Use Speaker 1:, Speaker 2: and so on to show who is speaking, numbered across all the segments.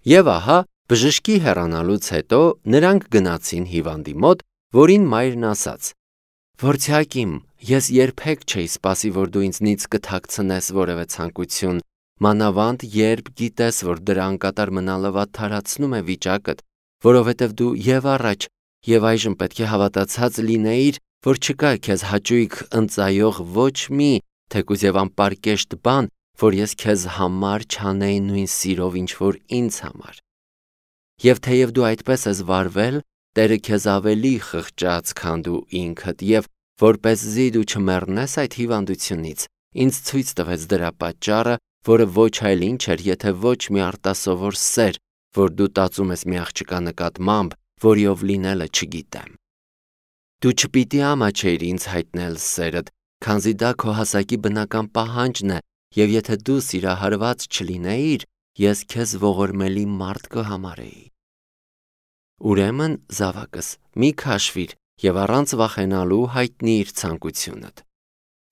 Speaker 1: Եվ ահա, բժշկի հեռանալուց հետո նրանք գնացին հիվանդի մոտ, որին մայրն ասաց. «Որդյակ իմ, ես երբեք չէի սպասի, որ դու ինձնից կթաքցնես որևէ ցանկություն, մանավանդ երբ գիտես, որ դրա անկատար մնալը վատթարացնում է վիճակդ, որովհետև դու և առաջ, և այժմ պետք է հավատացած լինեիր, որ չկա քեզ հաճույք ընծայող ոչ մի, թեկուզ և անպարկեշտ բան, որ ես քեզ համար չանեի նույն սիրով, ինչ որ ինձ համար։ Եվ թեև դու այդպես ես վարվել, Տերը քեզ ավելի խղճաց, քան դու ինքդ, և որպեսզի դու չմեռնես այդ հիվանդությունից, ինձ ցույց տվեց դրա պատճառը, որը ոչ այլ ինչ էր, եթե ոչ մի արտասովոր սեր, որ դու տածում ես մի աղջկա նկատմամբ, որիով լինելը չգիտեմ։ Դու չպիտի ամաչեիր ինձ հայտնել սերդ, քանզի դա քո հասակի բնական պահանջն է, և եթե դու սիրահարված չլինեիր, ես քեզ ողորմելի մարդ կհամարեի։ Ուրեմն, զավակս, մի քաշվիր և առանց վախենալու հայտնիր ցանկությունդ։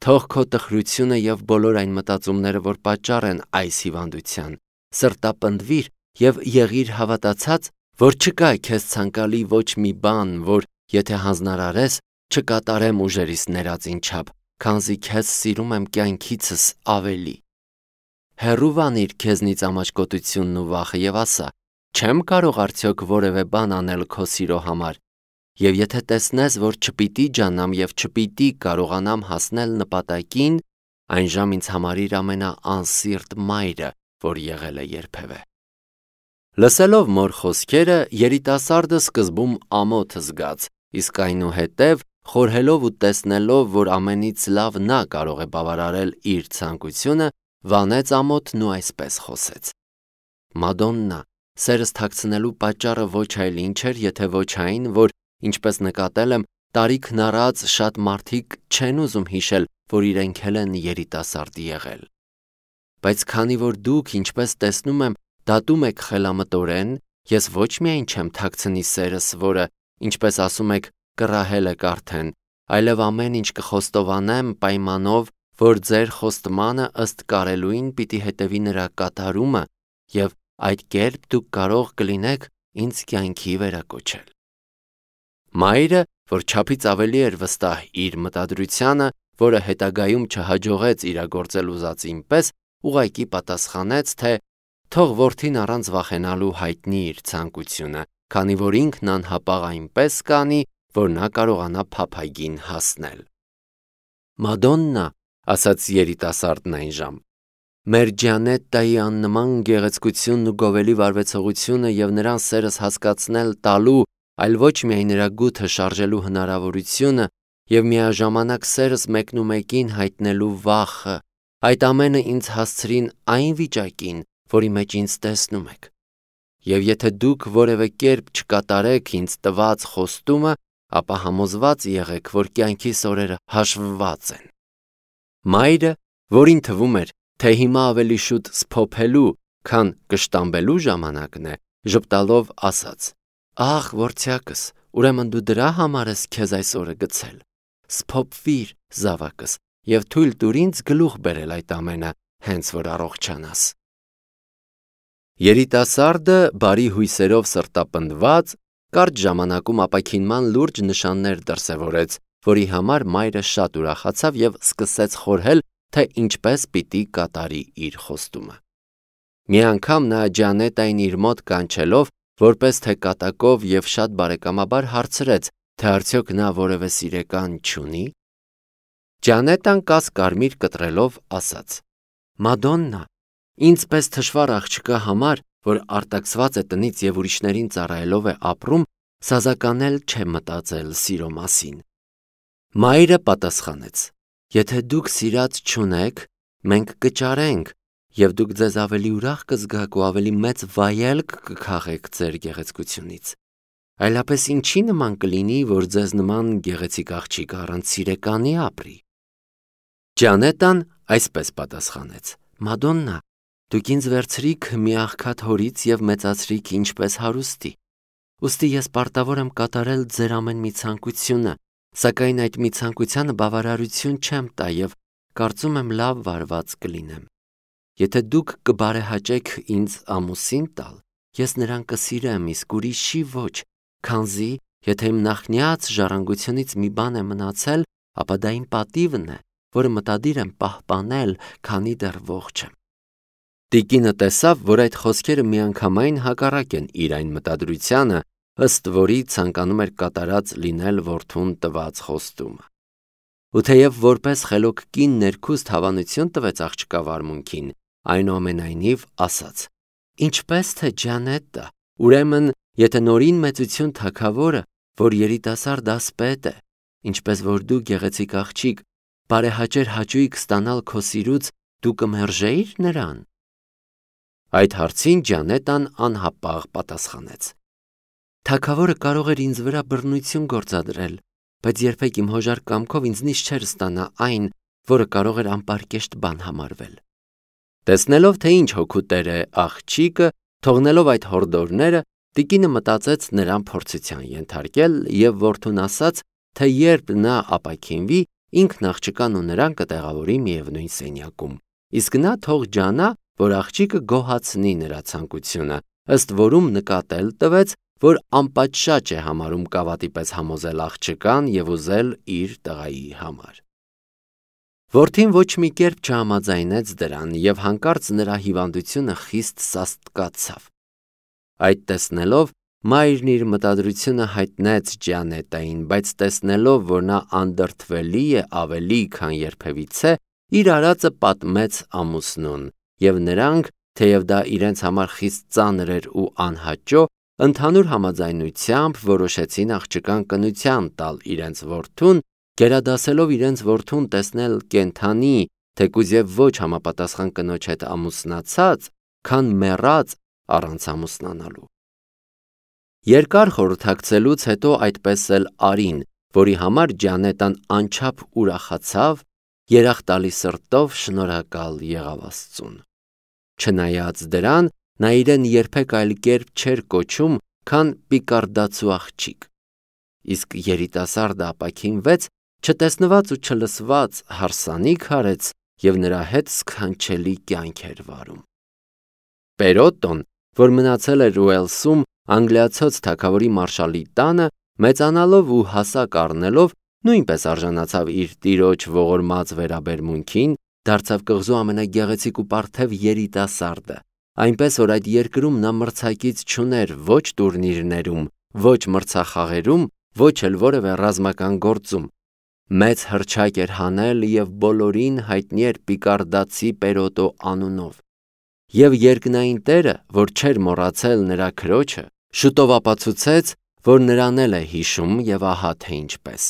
Speaker 1: Թող քո տխրությունը և բոլոր այն մտածումները, որ պատճառ են այս հիվանդության, սրտապնդվիր և եղիր հավատացած, որ չկա քեզ ցանկալի ոչ մի բան, որ եթե հանձնարարես, չկատարեմ ուժերիս ներածին չափ, քանզի քեզ սիրում եմ կյանքիցս ավելի։ Հեռու վանիր քեզնից ամաչկոտությունն ու վախը և ասա. չեմ կարող արդյոք որևէ բան անել քո սիրո համար, և եթե տեսնես, որ չպիտի ջանամ և չպիտի կարողանամ հասնել նպատակին, այն ժամ ինձ համարիր ամենաանսիրտ մայրը, որ եղել է երբևէ։ Լսելով մոր խոսքերը, երիտասարդը սկզբում ամոթ զգաց, իսկ այնուհետև, խորհելով ու տեսնելով, որ ամենից լավ նա կարող է բավարարել իր ցանկությունը, վանեց ամոթն ու այսպես խոսեց. Մադոննա, սերս թաքցնելու պատճառը ոչ այլ ինչ էր, եթե ոչ այն, որ, ինչպես նկատել եմ, տարիքն առած շատ մարդիկ չեն ուզում հիշել, որ իրենք էլ են երիտասարդ եղել։ Բայց քանի որ դուք, ինչպես տեսնում եմ, դատում եք խելամտորեն, ես ոչ միայն չեմ թաքցնի սերս, որը, ինչպես ասում եք, կռահել եք արդեն, այլև ամեն ինչ կխոստովանեմ պայմանով, որ ձեր խոստմանը ըստ կարելույն պիտի հետևի նրա կատարումը, և այդ կերպ դուք կարող կլինեք ինձ կյանքի վերակոչել։ Մայրը, որ չափից ավելի էր վստահ իր մտադրությանը, որը հետագայում չհաջողեց իրագործել ուզածին պես, ուղղակի պատասխանեց, թե թող որդին առանց վախենալու հայտնի իր ցանկությունը, քանի որ ինքն անհապաղ այնպես կանի, որ նա կարողանա փափագին հասնել։ Մադոննա, ասաց երիտասարդն այն ժամ, մեր Ջանետտայի աննման գեղեցկությունն ու գովելի վարվեցողությունը և նրան սերս հասկացնել տալու, այլ ոչ միայն նրա գութը շարժելու հնարավորությունը և միաժամանակ սերս մեկնումեկին հայտնելու վախը, այդ ամենը ինձ հասցրին այն վիճակին, որի մեջ ինձ տեսնում եք։ Եվ եթե դուք որևէ կերպ չկատարեք ինձ տված խոստումը, ապա համոզված եղեք, որ կյանքիս օրերը հաշվված են։ Մայրը, որին թվում էր, թե հիմա ավելի շուտ սփոփելու, քան կշտամբելու ժամանակն է, ժպտալով ասաց. Ախ, որդյակս, ուրեմն դու դրա համար ես քեզ այս օրը գցել։ Սփոփվիր, զավակս, և թույլ տուր ինձ գլուխ բերել այդ ամենը, հենց որ առողջանաս։ Երիտասարդը բարի հույսերով սրտապնդված, կարճ ժամանակում ապաքինման լուրջ նշաններ դրսևորեց, որի համար մայրը շատ ուրախացավ և սկսեց խորհել, թե ինչպես պիտի կատարի իր խոստումը։ Մի անգամ նա Ջանետային իր մոտ կանչելով, որպես թե կատակով և շատ բարեկամաբար հարցրեց, թե արդյոք նա որևէ սիրեկան չունի։ Ջանետան կաս-կարմիր կտրելով ասաց. Մադոննա, ինձ պես թշվառ աղջկա համար, որ արտաքսված է տնից և ուրիշներին ծառայելով է ապրում, սազականել չէ մտածել սիրո մասին։ Մայրը պատասխանեց. Եթե դուք սիրած չունեք, մենք կճարենք, և դուք ձեզ ավելի ուրախ կզգաք ու ավելի մեծ վայելք կքաղեք ձեր գեղեցկությունից։ Այլապես ինչի նման կլինի, որ ձեզ նման գեղեցիկ աղջիկ առանց սիրեկանի ապրի։ Ջանետան այսպես պատասխանեց. Մադոննա, դուք ինձ վերցրիք մի աղքատ հորից և մեծացրիք ինչպես հարուստի։ Ուստի ես պարտավոր եմ կատարել ձեր ամեն մի ցանկությունը, սակայն այդ մի ցանկությանը բավարարություն չեմ տա և կարծում եմ լավ վարված կլինեմ։ Եթե դուք կբարեհաճեք ինձ ամուսին տալ, ես նրան կսիրեմ, իսկ ուրիշի ոչ, քանզի եթե իմ նախնյաց ժառանգությունից մի բան է մնացել, ապա դա իմ պատիվն է, որը մտադիր եմ պահպանել, քանի դեռ ողջ եմ։ Տիկինը տեսավ, որ այդ խոսքերը միանգամայն հակառակ են իր այն մտադրությանը, ըստ որի ցանկանում էր կատարած լինել որդուն տված խոստումը։ Ու թեև որպես խելոք կին ներքուստ հավանություն տվեց աղջկա վարմունքին, այնուամենայնիվ ասաց. «Ինչպես թե Ջանետը, ուրեմն եթե նորին մեծություն թագավորը, որ երիտասարդ ասպետ է, ինչպես որ դու գեղեցիկ աղջիկ, բարեհաճեր հաճույք ստանալ քո սիրուց, դու կմերժեիր նրան»։ Այդ հարցին Ջանետան անհապաղ պատասխանեց. «Թագավորը կարող էր ինձ վրա բռնություն գործադրել, բայց երբեք իմ հոժար կամքով ինձնից չէր ստանա այն, որը կարող էր անպարկեշտ բան համարվել»։ Տեսնելով, թե ինչ հոգու տեր է աղջիկը, թողնելով այդ հորդորները, տիկինը մտածեց նրան փորձության ենթարկել և որդուն ասաց, թե երբ նա ապաքինվի, ինքն աղջկան ու նրան կտեղավորի միևնույն սենյակում, իսկ նա թող ջանա, որ աղջիկը գոհացնի նրա ցանկությունը, ըստ որում նկատել տվեց, որ անպատշաճ է համարում կավատի պես համոզել աղջկան և ուզել իր տղայի համար։ Որդին ոչ մի կերպ չհամաձայնեց դրան և հանկարծ նրա հիվանդությունը խիստ սաստկացավ։ Այդ տեսնելով, մայրն իր մտադրությունը հայտնեց Ջանետային, բայց տեսնելով, որ նա անդրդվելի է ավելի, քան երբևիցե, իր արածը պատմեց ամուսնուն, և նրանք, թեև դա իրենց համար խիստ ծանր էր ու անհաճո, ընդհանուր համաձայնությամբ որոշեցին աղջկան կնության տալ իրենց որդուն, գերադասելով իրենց որդուն տեսնել կենդանի, թեկուզ և ոչ համապատասխան կնոջ հետ ամուսնացած, քան մեռած առանց ամուսնանալու։ Երկար խորհրդակցելուց հետո այդպես էլ արին, որի համար Ջանետան անչափ ուրախացավ, երախ տալի սրտով շնորհակալ եղավ Աստծուն։ Չնայած դրան, նա իրեն երբեք այլ կերպ չէր կոչում, քան պիկարդացու աղջիկ։ Իսկ երիտասարդը ապաքինվեց, չտեսնված ու չլսված հարսանիք արեց և նրա հետ սքանչելի կյանք էր վարում։ Պերոտոն, որ մնացել էր Ուելսում անգլիացոց թագավորի մարշալի տանը, մեծանալով ու հասակ առնելով, նույնպես արժանացավ իր տիրոջ ողորմած վերաբերմունքին, դարձավ կղզու ամենագեղեցիկ ու պարթև երիտասարդը, այնպես որ այդ երկրում նա մրցակից չուներ ոչ տուրնիրներում, ոչ մրցախաղերում, ոչ էլ որևէ ռազմական գործում։ Մեծ հռչակ էր հանել և բոլորին հայտնի էր պիկարդացի Պերոտո անունով։ Եվ երկնային տերը, որ չէր մոռացել նրա քրոջը, շուտով ապացուցեց, որ նրան էլ է հիշում և ահա թե ինչպես։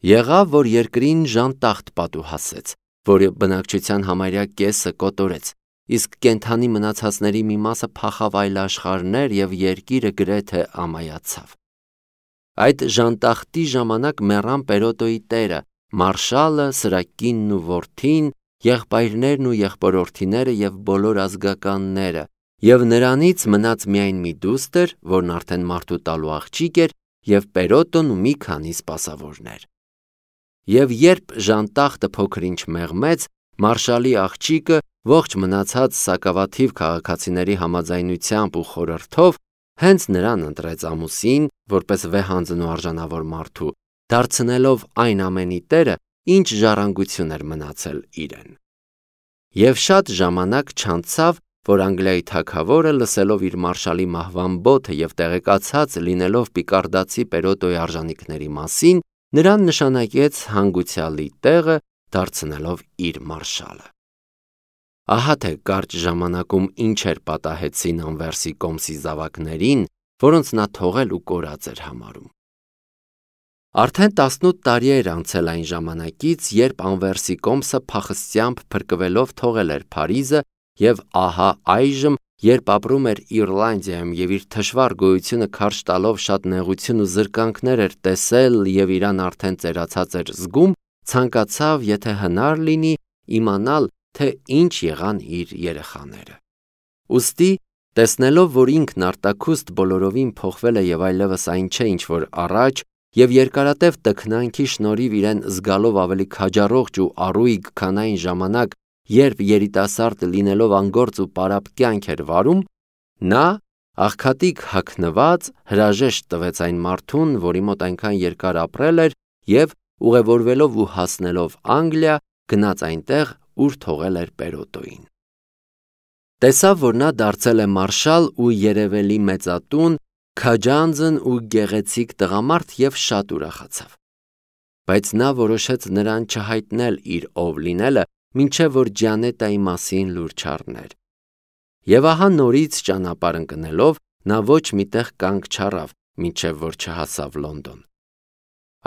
Speaker 1: Եղավ, որ երկրին ժանտախտ պատուհասեց, որի բնակչության համարյա կեսը կոտորեց, իսկ կենդանի մնացածների մի մասը փախավ այլ աշխարհներ և երկիրը գրեթե ամայացավ։ Այդ ժանտախտի ժամանակ մեռան Պերոտոյի տերը, մարշալը, սրա կինն ու որդին, եղբայրներն ու եղբորորդիները և բոլոր ազգականները, և նրանից մնաց միայն մի դուստր, որն արդեն մարդու տալու աղջիկ էր, և Պերոտոն ու մի քանի սպասավորներ։ Եվ երբ ժանտախտը փոքր-ինչ մեղմեց, մարշալի աղջիկը ողջ մնացած սակավաթիվ քաղաքացիների համաձայնությամբ ու խորհրդով հենց նրան ընտրեց ամուսին, որպես վեհանձն ու արժանավոր մարդու, դարձնելով այն ամենի տերը, ինչ ժառանգություն էր մնացել իրեն։ Եվ շատ ժամանակ չանցավ, որ Անգլիայի թագավորը, լսելով իր մարշալի մահվան բոթը և տեղեկացած լինելով պիկարդացի Պերոտոյի արժանիքների մասին, նրան նշանակեց հանգուցյալի տեղը, դարձնելով իր մարշալը։ Ահա թե կարճ ժամանակում ինչեր պատահեցին Անվերսի կոմսի զավակներին, որոնց նա թողել ու կորած էր համարում։ Արդեն 18 տարի էր անցել այն ժամանակից, երբ Անվերսի կոմսը փախստությամբ փրկվելով թողել էր Փարիզը, և ահա այժմ, երբ ապրում էր Իռլանդիայում և իր թշվառ գոյությունը քարշ տալով շատ նեղություն ու զրկանքներ էր տեսել և իրան արդեն ծերացած էր զգում, ցանկացավ, եթե հնար լինի, իմանալ, թե ինչ եղան իր երեխաները։ Ուստի, տեսնելով, որ ինքն արտաքուստ բոլորովին փոխվել է և այլևս այն չէ, ինչ որ առաջ, և երկարատև տքնանքի շնորհիվ իրեն զգալով ավելի քաջառողջ ու առույգ, քան այն ժամանակ, երբ երիտասարդ լինելով անգործ ու պարապ կյանք էր վարում, նա աղքատիկ հագնված հրաժեշտ տվեց այն մարդուն, որի մոտ այնքան երկար ապրել էր, եւ ուղևորվելով ու հասնելով Անգլիա, գնաց այնտեղ, ուր թողել էր Պերոտոյին։ Տեսավ, որ նա դարձել է մարշալ ու երևելի մեծատուն, քաջանձն ու գեղեցիկ տղամարդ եւ շատ ուրախացավ։ Բայց նա որոշեց նրան չհայտնել իր ով լինելը, մինչև որ Ջանետայի մասին լուր չառներ։ Եվ ահա նորից ճանապարհ ընկնելով, նա ոչ միտեղ կանգ չառավ, մինչև որ չհասավ Լոնդոն։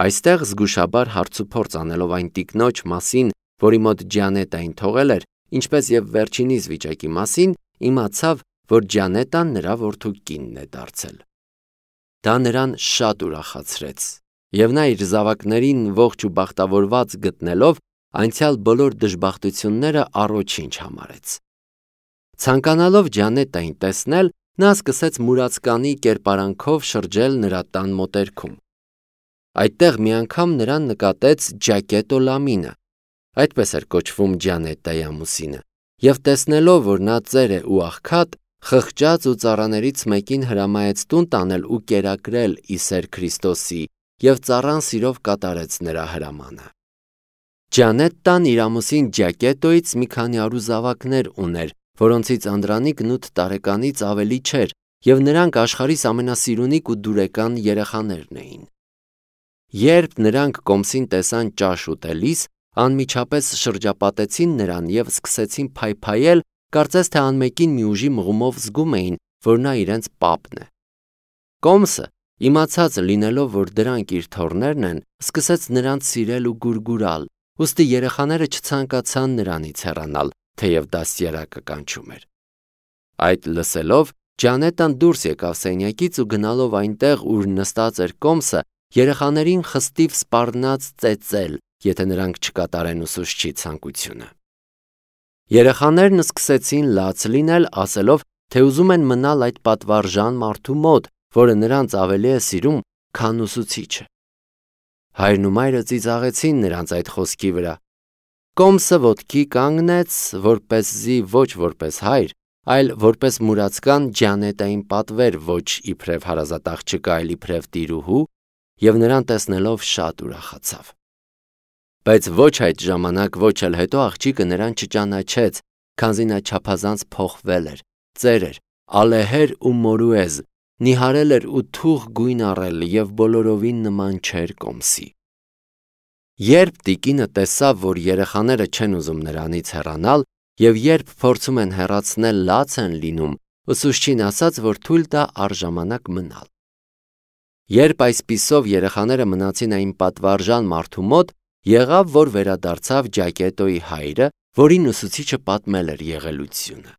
Speaker 1: Այստեղ զգուշաբար հարցուփորձ անելով այն տիկնոջ մասին, որի մոտ Ջանետային թողել էր, ինչպես եւ վերջինիս վիճակի մասին, իմացավ, որ Ջանետան նրա որդու կինն է դարձել։ Դա նրան շատ ուրախացրեց, եւ նա իր զավակներին ողջ ու բախտավորված գտնելով, անցյալ բոլոր դժբախտությունները առաջինչ համարեց։ Ցանկանալով Ջանետային տեսնել, նա սկսեց մուրացկանի կերպարանքով շրջել նրա տան մոտերքում։ Այդտեղ մի անգամ նրան նկատեց Ջակետո Լամինը, այդպես էր կոչվում Ջանետայի ամուսինը, եւ տեսնելով, որ նա ծեր է ու աղքատ, խղճաց ու ծառաներից մեկին հրամայեց տուն տանել ու կերակրել ի սեր Քրիստոսի, եւ ծառան սիրով կատարեց նրա հրամանը։ Ջանետտան իր ամուսին Ջակետոից մի քանի արու զավակներ ուներ, որոնցից Անդրանիկն 8 տարեկանից ավելի չէր, եւ նրանք աշխարհիս ամենասիրունիկ ու դուրեկան երեխաներն էին։ Երբ նրանք կոմսին տեսան ճաշ ուտելիս, անմիջապես շրջապատեցին նրան եւ սկսեցին փայփայել, կարծես թե անմեկին մի ուժի մղումով զգում էին, որ նա իրենց պապն է։ Կոմսը, իմացած լինելով, որ դրանք իր թոռներն են, սկսեց նրանց սիրել ու գուրգուրալ, ուստի երեխաները չցանկացան նրանից հեռանալ, թեև դաստիարակը կանչում էր։ Այդ լսելով, Ջանետան դուրս եկավ սենյակից ու գնալով այնտեղ, ուր նստած էր Կոմսը, երեխաներին խստիվ սպառնաց ծեծել, եթե նրանք չկատարեն ուսուցչի ցանկությունը։ Երեխաներն սկսեցին լաց լինել, ասելով, թե ուզում են մնալ այդ պատվարժան մարդու մոտ, որը նրանց ավելի է սիրում, քան ուսուցիչը։ Հայրն ու մայրը ծիծաղեցին նրանց այդ խոսքի վրա։ Կոմսը ոտքի կանգնեց, որպեսզի ոչ որպես հայր, այլ որպես մուրացկան Ջանետային պատվեր ոչ իբրև հարազատ աղջկա, այլ իբրև տիրուհու, եւ նրան տեսնելով շատ ուրախացավ։ Բայց ոչ այդ ժամանակ, ոչ էլ հետո աղջիկը նրան չճանաչեց, քանզի նա չափազանց փոխվել էր, ծեր էր, ալեհեր ու մորուեզ, նիհարել էր ու թուղ գույն առել եւ բոլորովին նման չէր Կոմսի։ Երբ տիկինը տեսավ, որ երեխաները չեն ուզում նրանից հեռանալ, եւ երբ փորձում են հեռացնել, լաց են լինում, ուսուցչին ասաց, որ թույլ տա առժամանակ մնալ։ Երբ այսպիսով երեխաները մնացին այն պատվարժան մարդու մոտ, եղավ, որ վերադարձավ Ջակետոյի հայրը, որին ուսուցիչը պատմել էր եղելությունը։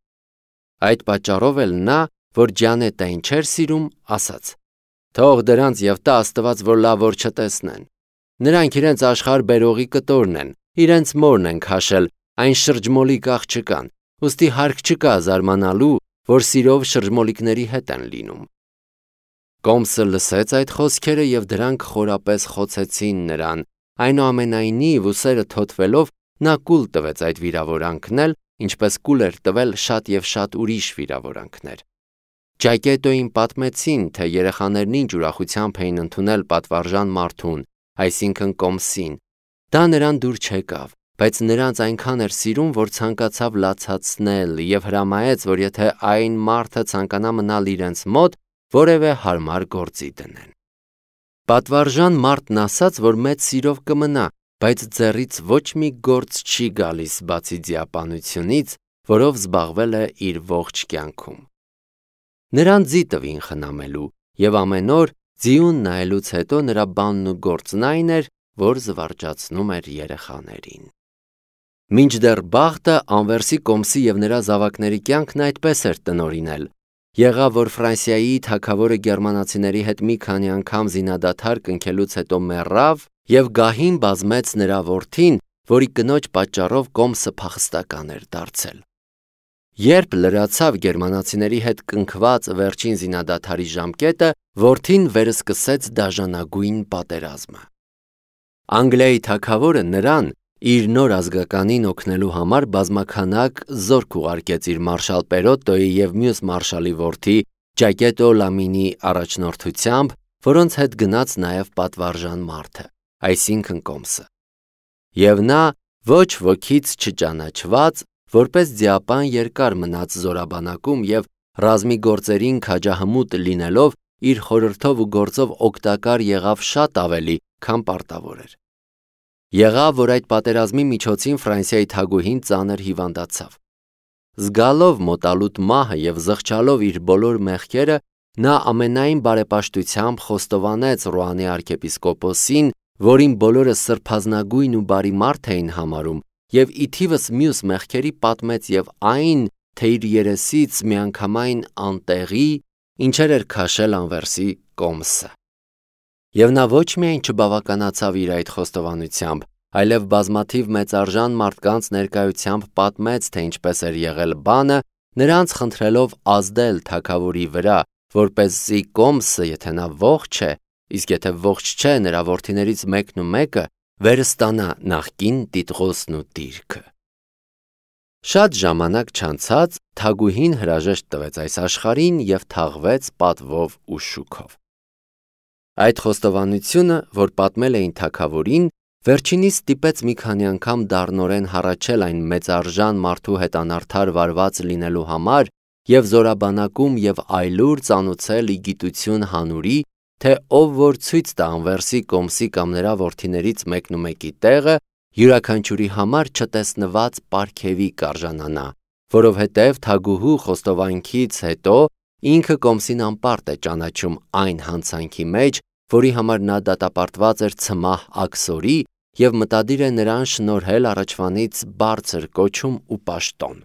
Speaker 1: Այդ պատճառով էլ նա, որ Ջանետային չէր սիրում, ասաց. «Թող դրանց եւ տա Աստված, որ լավ որ չտեսնեն։ Նրանք իրենց աշխարհ բերողի կտորն են, իրենց մորն են քաշել, այն շրջմոլիկ աղջկան, ուստի հարկ չկա զարմանալու, որ սիրով շրջմոլիկների հետ են լինում»։ Կոմսը լսեց այդ խոսքերը եւ դրանք խորապես խոցեցին նրան, այնուամենայնիվ ուսերը թոթվելով նա կուլ տվեց այդ վիրավորանքն էլ, ինչպես կուլ էր տվել շատ եւ շատ ուրիշ վիրավորանքներ։ Ջակետոյին պատմեցին, թե երեխաներն ինչ ուրախությամբ էին ընդունել պատվարժան մարդուն, այսինքն Կոմսին։ Դա նրան դուր չեկավ, բայց նրանց այնքան էր սիրում, որ ցանկացավ լացացնել եւ հրամայեց, որ եթե այն մարդը ցանկանա մնալ իրենց մոտ, որևէ հարմար գործի դնեն։ Պատվարժան մարդն ասաց, որ մեծ սիրով կմնա, բայց ձեռից ոչ մի գործ չի գալիս բացի ձիապանությունից, որով զբաղվել է իր ողջ կյանքում։ Նրան ձի տվին խնամելու, եւ ամեն օր ձիուն նայելուց հետո նրա բանն ու գործն այն էր, որ զվարճացնում էր երեխաներին։ Մինչդեռ բախտը Անվերսի Կոմսի եւ նրա զավակների կյանքն այդպես էր տնօրինել։ Եղավ, որ Ֆրանսիայի թագավորը գերմանացիների հետ մի քանի անգամ զինադադար կնքելուց հետո մեռավ եւ գահին բազմեց նրա որդին, որի կնոջ պատճառով Կոմսը փախստական էր դարձել։ Երբ լրացավ գերմանացիների հետ կնքված վերջին զինադադարի ժամկետը, որդին վերսկսեց դաժանագույն պատերազմը։ Անգլիայի թագավորը նրան իր նոր ազգականին օգնելու համար բազմաքանակ զորք ուղարկեց իր մարշալ Պերոտոյի եւ մյուս մարշալի որդի Ջակետո Լամինի առաջնորդությամբ, որոնց հետ գնաց նաև պատվարժան մարդը, այսինքն Կոմսը։ Եվ նա ոչ ոքից չճանաչված, որպես ձիապան երկար մնաց զորաբանակում և ռազմի գործերին քաջահմուտ լինելով իր խորհրդով ու գործով օգտակար եղավ շատ ավելի, քան պարտավոր էր։ Եղավ, որ այդ պատերազմի միջոցին Ֆրանսիայի թագուհին ծանր հիվանդացավ։ Զգալով մոտալուտ մահը և զղջալով իր բոլոր մեղքերը, նա ամենայն բարեպաշտությամբ խոստովանեց Ռուանի arczepiskopոսին, որին բոլորը սրբազնագույն ու բարի մարդ էին համարում, և ի թիվս մյուս մեղքերի պատմեց և այն, թե իր երեսից միանգամայն անտեղի, ինչեր էր քաշել անվերսի Կոմսը։ Եվ նա ոչ միայն չբավականացավ իր այդ խոստովանությամբ, այլև բազմաթիվ մեծարժան մարդկանց ներկայությամբ պատմեց, թե ինչպես էր եղել բանը, նրանց խնդրելով ազդել թագավորի վրա, որպեսզի Կոմսը, եթե նա ողջ է, իսկ եթե ողջ չէ, նրա որդիներից մեկն ու մեկը վերստանա նախկին Տիտղոսն ու դիրքը։ Շատ ժամանակ չանցած թագուհին հրաժեշտ տվեց այս աշխարհին և թաղվեց պատվով ու շուքով։ Այդ խոստովանությունը, որ պատմել էին թագավորին, վերջինիս ստիպեց մի քանի անգամ դառնորեն հառաչել այն մեծարժան մարդու հետ անարդար վարված լինելու համար և զորաբանակում և այլուր ծանուցել ի գիտություն հանուրի, թե ով որ ցույց տա անվերսի Կոմսի կամ նրա որդիներից մեկն ու մեկի տեղը, յուրաքանչյուրի համար չտեսնված պարգևի կարժանանա, որովհետև թագուհու խոստովանքից հետո ինքը Կոմսին անպարտ է ճանաչում այն հանցանքի մեջ, որի համար նա դատապարտված էր ցմահ աքսորի և մտադիր է նրան շնորհել առաջվանից բարձր կոչում ու պաշտոն։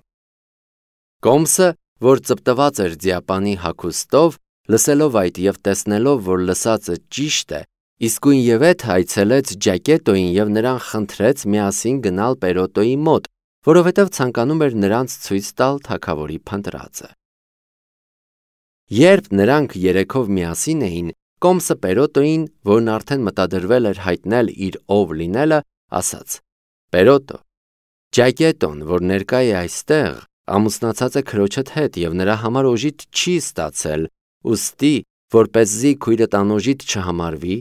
Speaker 1: Կոմսը, որ ծպտված էր ձիապանի հագուստով, լսելով այդ և տեսնելով, որ լսածը ճիշտ է, իսկույնևեթ այցելեց Ջակետոյին և նրան խնդրեց միասին գնալ Պերոտոյի մոտ, որովհետև ցանկանում էր նրանց ցույց տալ թագավորի փնտրածը։ Երբ նրանք երեքով միասին էին, Կոմսը Պերոտոյին, որն արդեն մտադրվել էր հայտնել իր ով լինելը, ասաց. «Պերոտո, Ջակետոն, որ ներկա է այստեղ, ամուսնացած է քրոջդ հետ և նրա համար օժիտ չի ստացել, ուստի, որպեսզի քույրդ անօժիտ չհամարվի,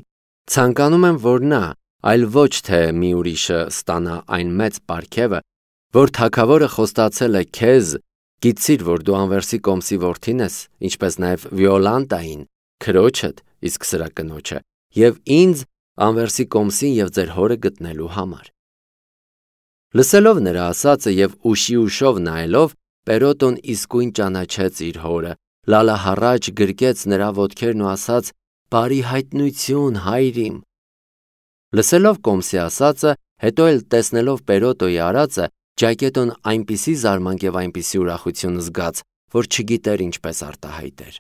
Speaker 1: ցանկանում եմ, որ նա, այլ ոչ թե մի ուրիշը ստանա այն մեծ պարգևը, որ թագավորը խոստացել է քեզ, գիտցիր, որ դու անվերսի Կոմսի որդին ես, ինչպես նաև Վիոլանտային, քրոջդ, իսկ սրա կնոջը, և ինձ անվերսի Կոմսին և ձեր հորը գտնելու համար»։ Լսելով նրա ասածը և ուշի ուշով նայելով, Պերոտոն իսկույն ճանաչեց իր հորը, լալահառաջ գրկեց նրա ոտքերն ու ասաց. «Բարի հայտնություն, հայր իմ»։ Լսելով Կոմսի ասածը, հետո էլ տեսնելով Պերոտոյի արածը, Ջակետոն այնպիսի զարմանք և այնպիսի ուրախություն զգաց, որ չգիտեր ինչպես արտահայտեր։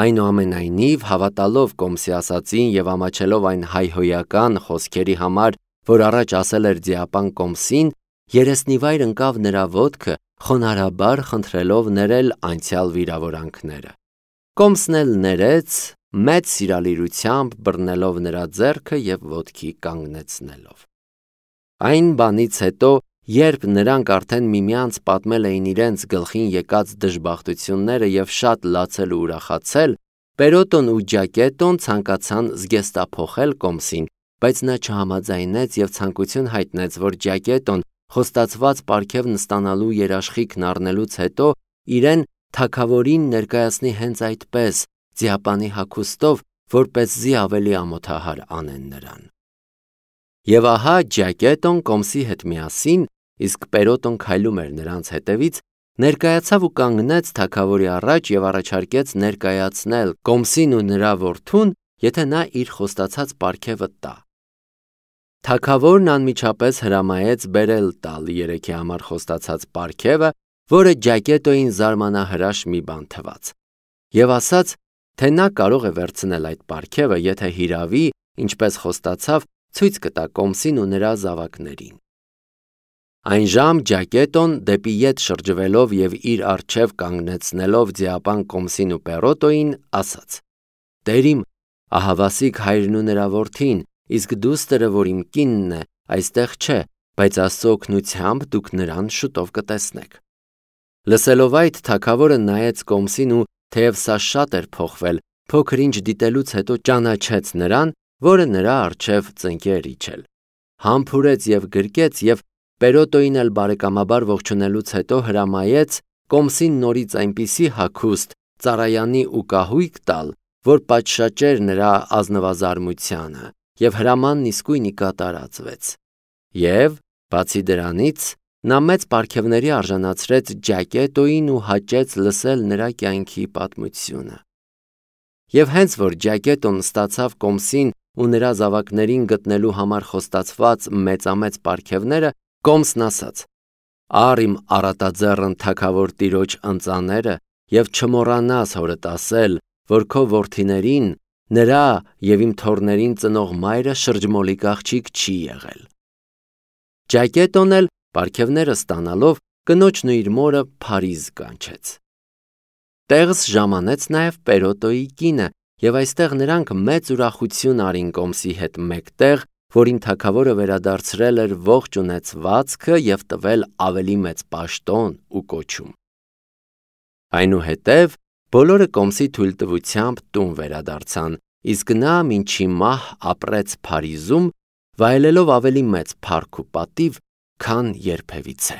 Speaker 1: Այնուամենայնիվ, հավատալով Կոմսի ասածին և ամաչելով այն հայհոյական խոսքերի համար, որ առաջ ասել էր ձիապան Կոմսին, երեսնիվայր ընկավ նրա ոտքը, խոնարհաբար խնդրելով ներել անցյալ վիրավորանքները։ Կոմսն էլ ներեց, մեծ սիրալիրությամբ բռնելով նրա ձեռքը և ոտքի կանգնեցնելով։ Այն բանից հետո, երբ նրանք արդեն միմյանց պատմել էին իրենց գլխին եկած դժբախտությունները և շատ լացել ու ուրախացել, Պերոտոն ու Ջակետոն ցանկացան զգեստափոխել Կոմսին, բայց նա չհամաձայնեց և ցանկություն հայտնեց, որ Ջակետոն խոստացված պարգևն ստանալու երաշխիքն առնելուց հետո իրեն թագավորին ներկայացնի հենց այդպես, ձիապանի հագուստով, որպեսզի ավելի ամոթահար անեն նրան։ Եվ ահա Ջակետոն Կոմսի հետ միասին, իսկ Պերոտոն քայլում էր նրանց հետևից, ներկայացավ ու կանգնեց թագավորի առաջ և առաջարկեց ներկայացնել Կոմսին ու նրա որդուն, եթե նա իր խոստացած պարգևը տա։ Թագավորն անմիջապես հրամայեց բերել տալ երեքի համար խոստացած պարգևը, որը Ջակետոյին զարմանահրաշ մի բան թվաց, և ասաց, թե նա կարող է վերցնել այդ պարգևը, եթե հիրավի, ինչպես խոստացավ, ցույց կտա Կոմսին ու նրա զավակներին։ Այնժամ Ջակետոն դեպի ետ շրջվելով և իր առջև կանգնեցնելով ձիապան Կոմսին ու Պերոտոյին, ասաց. «Տեր իմ, ահավասիկ հայրն ու նրա որդին, իսկ դուստրը, որ իմ կինն է, այստեղ չէ, բայց Աստծո օգնությամբ դուք նրան շուտով կտեսնեք»։ Լսելով այդ, թագավորը նայեց Կոմսին ու թեև սա շատ էր փոխվել, փոքր ինչ դիտելուց հետո ճանաչեց նրան, որը նրա առջև ծնկեր իջել։ Համբուրեց և գրկեց և Պերոտոյին էլ բարեկամաբար ողջունելուց հետո հրամայեց կոմսին նորից այնպիսի հագուստ, ծառայանի ու կահույք տալ, որ պատշաճեր նրա ազնվազարմությանը, և հրամանն իսկույն ի կատար ածվեց։ Եվ, բացի դրանից, նա մեծ պարգևների արժանացրեց Ջակետոյին ու հաճեց լսել նրա կյանքի պատմությունը։ Եվ հենց որ Ջակետոն ստացավ կոմսին ու նրա զավակներին գտնելու համար խոստացված մեծամեծ պարգևները, կոմսն ասաց. «Առ իմ առատաձեռն թագավոր տիրոջ ընծաները և չմոռանաս հորդ ասել, որ քո որդիներին, նրա և իմ թոռներին ծնող մայրը շրջմոլիկ աղջիկ չի եղել»։ Ջակետոն էլ պարգևները ստանալով կնոջն ու իր մորը Փարիզ կանչեց։ Տեղս ժամանեց նաև Պերոտոյի կինը, և այստեղ նրանք մեծ ուրախություն արին կոմսի հետ մեկտեղ, որին թագավորը վերադարձրել էր ողջ ունեցվածքը և տվել ավելի մեծ պաշտոն ու կոչում։ Այնուհետև բոլորը կոմսի թույլտվությամբ տուն վերադարձան, իսկ նա մինչի մահ ապրեց Փարիզում, վայելելով ավելի մեծ փառք ու պատիվ, քան երբևիցե։